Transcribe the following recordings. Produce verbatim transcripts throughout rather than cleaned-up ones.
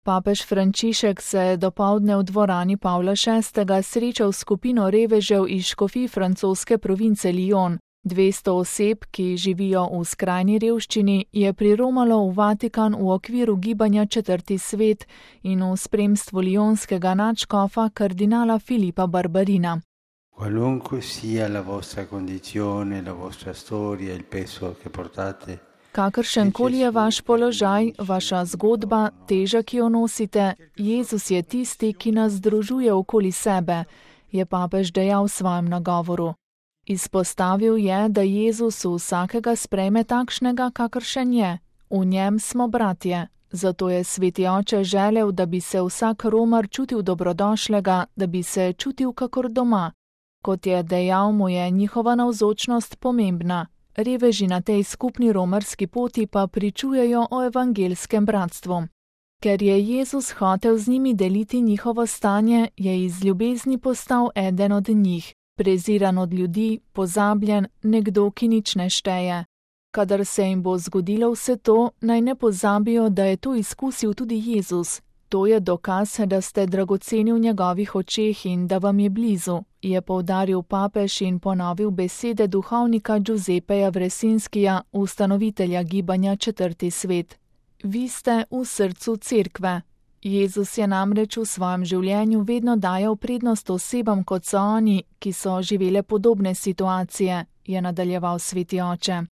Papež Frančišek se je dopoldne v dvorani Pavla šestega srečal s skupino revežev iz škofij francoske province Lyon. dvesto oseb, ki živijo v skrajni revščini, je priromalo v Vatikan v okviru gibanja Četrti svet in v spremstvu lionskega nadškofa kardinala Filipa Barbarina. Qualunque sia la vostra condizione, la vostra storia, il peso che portate. Kakršenkoli je vaš položaj, vaša zgodba, teža, ki jo nosite, Jezus je tisti, ki nas združuje okoli sebe, je papež dejal v svojem nagovoru. Izpostavil je, da Jezus vsakega sprejme takšnega, kakršen je. V njem smo bratje. Zato je Sveti Oče želel, da bi se vsak Romar čutil dobrodošlega, da bi se čutil kakor doma. Kot je dejal, mu je njihova navzočnost pomembna. Reveži na tej skupni romarski poti pa pričujejo o evangelskem bratstvu. Ker je Jezus hotel z njimi deliti njihovo stanje, je iz ljubezni postal eden od njih, preziran od ljudi, pozabljen, nekdo, ki nič ne šteje. Kadar se jim bo zgodilo vse to, naj ne pozabijo, da je to izkusil tudi Jezus. To je dokaz, da ste dragoceni v njegovih očeh in da vam je blizu, je poudaril papež in ponovil besede duhovnika Giuseppeja Vresinskija, ustanovitelja gibanja Četrti svet. Vi ste v srcu cerkve. Jezus je namreč v svojem življenju vedno dajal prednost osebam, kot so oni, ki so živele podobne situacije, je nadaljeval Sveti Oče.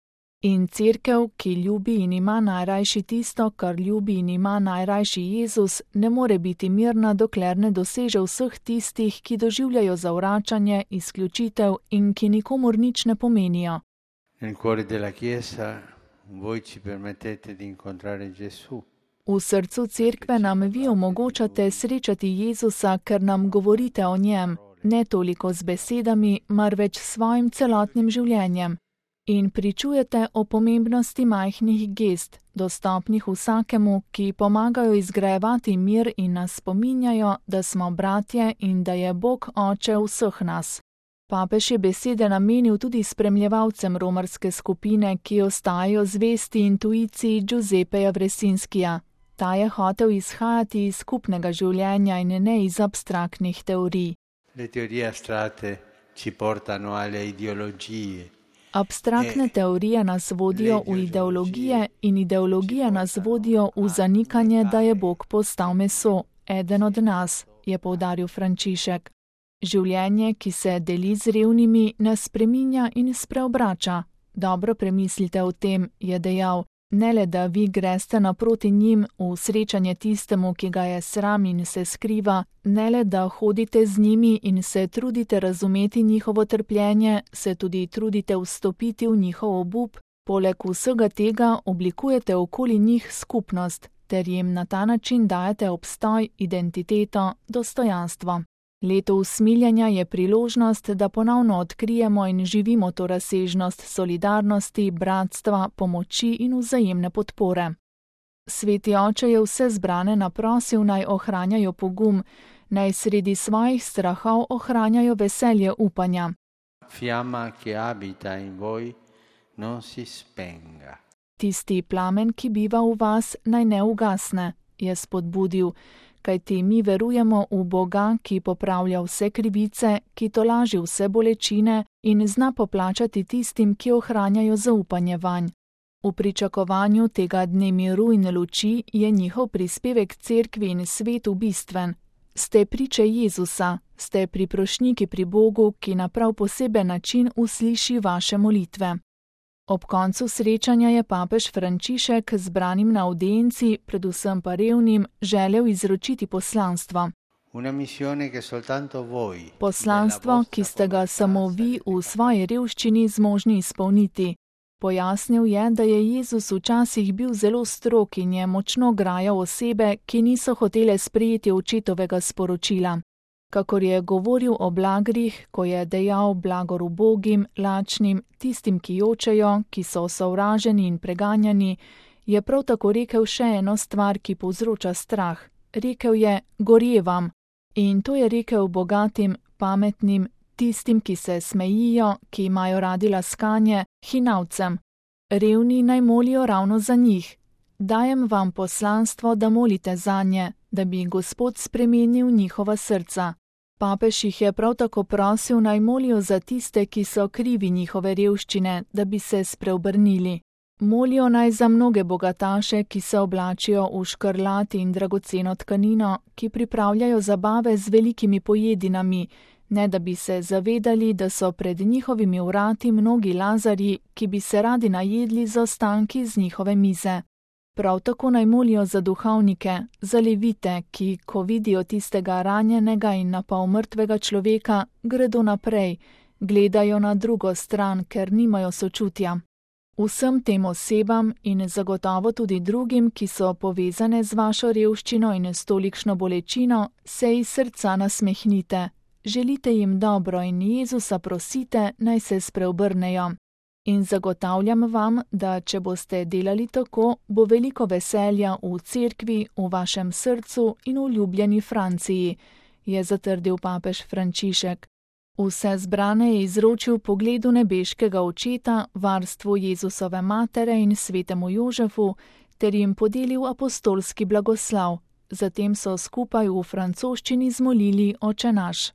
In cerkev, ki ljubi in ima najrajši tisto, kar ljubi in ima najrajši Jezus, ne more biti mirna, dokler ne doseže vseh tistih, ki doživljajo zavračanje, izključitev in ki nikomur nič ne pomenijo. Nel cuore della Chiesa voi ci permettete di incontrare Gesù. V srcu cerkve nam vi omogočate srečati Jezusa, ker nam govorite o njem, ne toliko z besedami, marveč s svojim celotnim življenjem. In pričujete o pomembnosti majhnih gest, dostopnih vsakemu, ki pomagajo izgrajevati mir in nas spominjajo, da smo bratje in da je Bog Oče vseh nas. Papež je besede namenil tudi spremljevalcem romarske skupine, ki ostajajo zvesti intuiciji Giuseppeja Vresinskija. Ta je hotel izhajati iz skupnega življenja in ne iz abstraktnih teorij. Le teorie astratte ci portano alle ideologie. Abstraktne teorije nas vodijo v ideologije in ideologije nas vodijo v zanikanje, da je Bog postal meso, eden od nas, je poudaril Frančišek. Življenje, ki se deli z revnimi, nas spreminja in spreobrača. Dobro premislite o tem, je dejal, ne le da vi greste naproti njim v srečanje tistemu, ki ga je sram in se skriva, ne le da hodite z njimi in se trudite razumeti njihovo trpljenje, se tudi trudite vstopiti v njihov obup, poleg vsega tega oblikujete okoli njih skupnost, ter jim na ta način dajete obstoj, identiteto, dostojanstvo. Leto usmiljenja je priložnost, da ponovno odkrijemo in živimo to razsežnost solidarnosti, bratstva, pomoči in vzajemne podpore. Sveti Oče je vse zbrane naprosil, naj ohranjajo pogum, naj sredi svojih strahov ohranjajo veselje upanja. Fiamma che abita in voi non si spenga. Tisti plamen, ki biva v vas, naj ne ugasne, je spodbudil, kajti mi verujemo v Boga, ki popravlja vse krivice, ki tolaži vse bolečine in zna poplačati tistim, ki ohranjajo zaupanje vanj. V pričakovanju tega dne miru in luči je njihov prispevek cerkvi in svetu bistven. Ste priče Jezusa, ste priprošniki pri Bogu, ki na prav poseben način usliši vaše molitve. Ob koncu srečanja je papež Frančišek zbranim na avdienci, predvsem pa revnim, želel izročiti poslanstvo. Poslanstvo, ki ste ga samo vi v svoji revščini zmožni izpolniti. Pojasnil je, da je Jezus včasih bil zelo strog in je močno grajal osebe, ki niso hotele sprejeti očetovega sporočila. Kakor je govoril o blagrih, ko je dejal blagor ubogim, lačnim, tistim, ki jočejo, ki so sovraženi in preganjani, je prav tako rekel še eno stvar, ki povzroča strah. Rekel je, gorje vam. In to je rekel bogatim, pametnim, tistim, ki se smejijo, ki imajo radi laskanje, hinavcem. Revni naj molijo ravno za njih. Dajem vam poslanstvo, da molite zanje, da bi Gospod spremenil njihova srca. Papež jih je prav tako prosil, naj molijo za tiste, ki so krivi njihove revščine, da bi se spreobrnili. Molijo naj za mnoge bogataše, ki se oblačijo v škrlat in dragoceno tkanino, ki pripravljajo zabave z velikimi pojedinami, ne da bi se zavedali, da so pred njihovimi vrati mnogi lazarji, ki bi se radi najedli z ostanki z njihove mize. Prav tako naj molijo za duhovnike, za levite, ki, ko vidijo tistega ranjenega in napol mrtvega človeka, gredo naprej, gledajo na drugo stran, ker nimajo sočutja. Vsem tem osebam in zagotovo tudi drugim, ki so povezane z vašo revščino in s tolikšno bolečino, se iz srca nasmehnite. Želite jim dobro in Jezusa prosite, naj se spreobrnejo. In zagotavljam vam, da če boste delali tako, bo veliko veselja v cerkvi, v vašem srcu in v ljubljeni Franciji, je zatrdil papež Frančišek. Vse zbrane je izročil pogledu nebeškega očeta, varstvu Jezusove matere in svetemu Jožefu, ter jim podelil apostolski blagoslav. Zatem so skupaj v francoščini zmolili Oče naš.